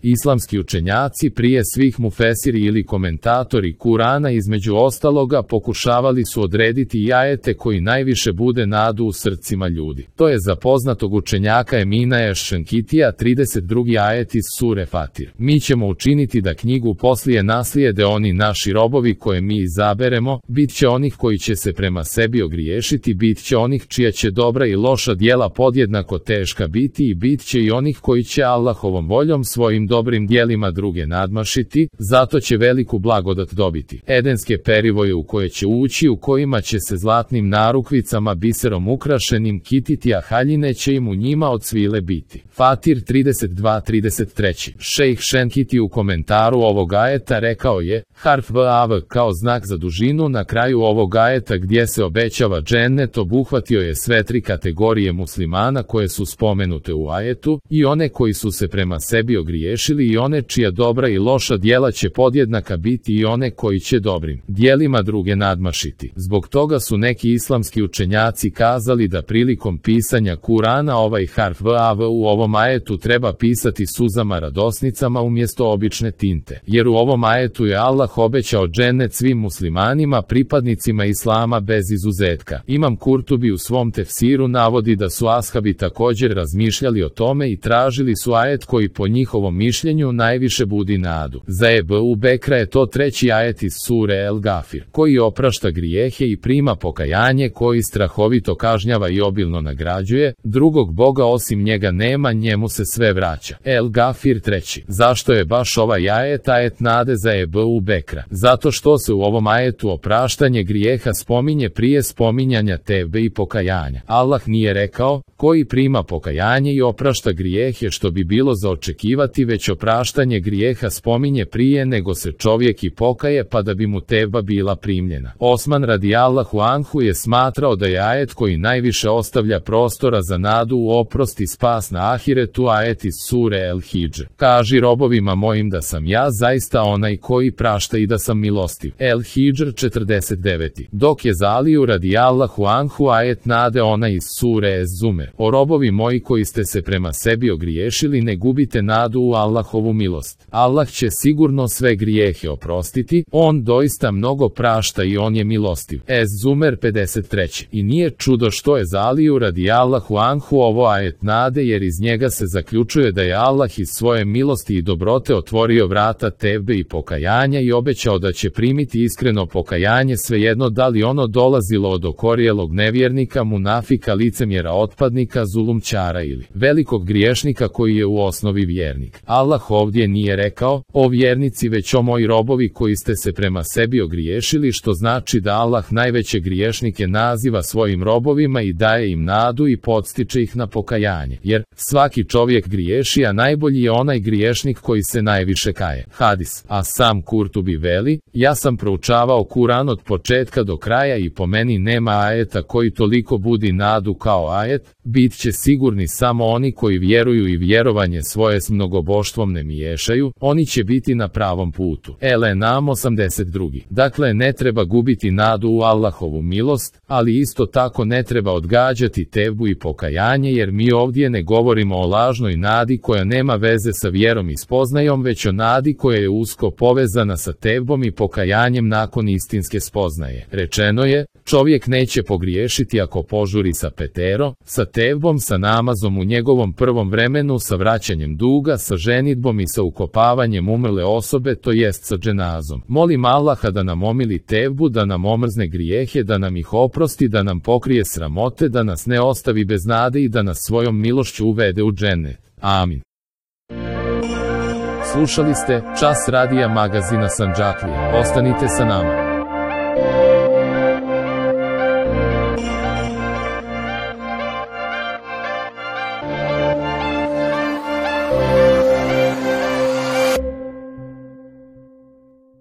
Islamski učenjaci, prije svih mufesiri ili komentatori Kurana, između ostaloga pokušavali su odrediti i ajete koji najviše bude nadu u srcima ljudi. To je za poznatog učenjaka Emina Ešenkitija 32. ajet iz sure Fatir. Mi ćemo učiniti da knjigu poslije naslijede oni naši robovi koje mi izaberemo, bit će onih koji će se prema sebi ogriješiti, bit će onih čija će dobra i loša djela podjednako teška biti i bit će i onih koji će Allahovom voljom svojim dobrim djelima druge nadmašiti, zato će veliku blagodat dobiti. Edenske perivoje u koje će ući, u kojima će se zlatnim narukvicama biserom ukrašenim kititi, a haljine će im u njima od svile biti. Fatir 32-33. Šejh Šenkiti u komentaru ovog ajeta rekao je, harf vav kao znak za dužinu na kraju ovog ajeta gdje se obećava džennet obuhvatio je sve tri kategorije muslimana koje su spomenute u ajetu, i one koji su se prema sebi ogriješili i one čija dobra i loša djela će podjednaka biti i one koji će dobrim djelima druge nadmašiti. Zbog toga su neki islamski učenjaci kazali da prilikom pisanja Kurana ovaj harf vav u ovom ajetu treba pisati suzama radosnicama umjesto obične tinte, jer u ovom ajetu je Allah obećao džennet svim muslimanima, pripadnicima islama bez izuzetka. Imam Kurtubi u svom tefsiru navodi da su ashabi također razmišljali o tome i tražili su ajet koji po njihovom mišljenju najviše budi nadu. Za Ebu Bekra je to 3. ajet iz sure El Gafir, koji oprašta grijehe i prima pokajanje, koji strahovito kažnjava i obilno nagrađuje, drugog Boga osim njega nema, njemu se sve vraća. El Gafir 3. Zašto je baš ovaj ajet nade za Ebu Bekra? Zato što se u ovom ajetu opraštanje grijeha spominje prije spominjanja tevbe i pokajanja. Allah nije rekao, koji prima pokajanje i oprašta grijehe, što bi bilo za očekivati, već opraštanje grijeha spominje prije nego se čovjek i pokaje, pa da bi mu tevba bila primljena. Osman radijallahu anhu je smatrao da je ajet koji najviše ostavlja prostora za nadu u oprost i spas na ahiretu ajet iz sure El Hidž. Kaži robovima mojim da sam ja zaista onaj koji prašta i da sam milostiv. El Hidž 49. Dok je za Aliju radijallahu anhu ajet nade ona iz sure Ez Zumer. O robovi moji koji ste se prema sebi ogriješili, ne gubite nadu u Allahovu milost. Allah će sigurno sve grijehe oprostiti, on doista mnogo prašta i on je milostiv. Ez Zumer 53. I nije čudo što je za Aliju radijallahu anhu ovo ajet nade, jer iz njega se zaključuje da je Allah iz svoje milosti i dobrote otvorio vrata tevbe i pokajanja i obećao da će primiti iskreno pokajanje, svejedno da li ono dolazilo od okorjelog nevjernika, munafika, licemjera, otpadnika, zulumčara ili velikog griješnika koji je u osnovi vjernik. Allah ovdje nije rekao, o vjernici, već o moji robovi koji ste se prema sebi ogriješili, što znači da Allah najveće griješnike naziva svojim robovima i daje im nadu i podstiče ih na pokajanje, jer svaki čovjek griješi, a najbolji je onaj griješnik koji se najviše kaje. Hadis. A sam Kurtubi veli, ja sam proučavao Kuran od početka do kraja i po meni nema ajeta koji toliko budi nadu kao ajet, bit će sigurni samo oni koji vjeruju i vjerovanje svoje s mnogoboštvom ne miješaju, oni će biti na pravom putu. Elenam 82. Dakle, ne treba gubiti nadu u Allahovu milost, ali isto tako ne treba odgađati tevbu i pokajanje, jer mi ovdje ne govorimo o lažnoj nadi koja nema veze sa vjerom i spoznajom, već o nadi koja je usko povezana sa tevbom i pokajanjem nakon istinske spoznaje. Rečeno je, čovjek neće pogriješiti ako požuri sa petero, sa tevbom, sa namazom u njegovom prvom vremenu, sa vraćanjem duga, sa ženidbom i sa ukopavanjem umrle osobe, to jest sa dženazom. Molim Allaha da nam omili tevbu, da nam omrzne grijehe, da nam ih oprosti, da nam pokrije sramote, da nas ne ostavi bez nade i da nas svojom milošću uvede u džennet. Amin. Slušali ste Čas radija magazina Sandžaklija. Ostanite sa nama.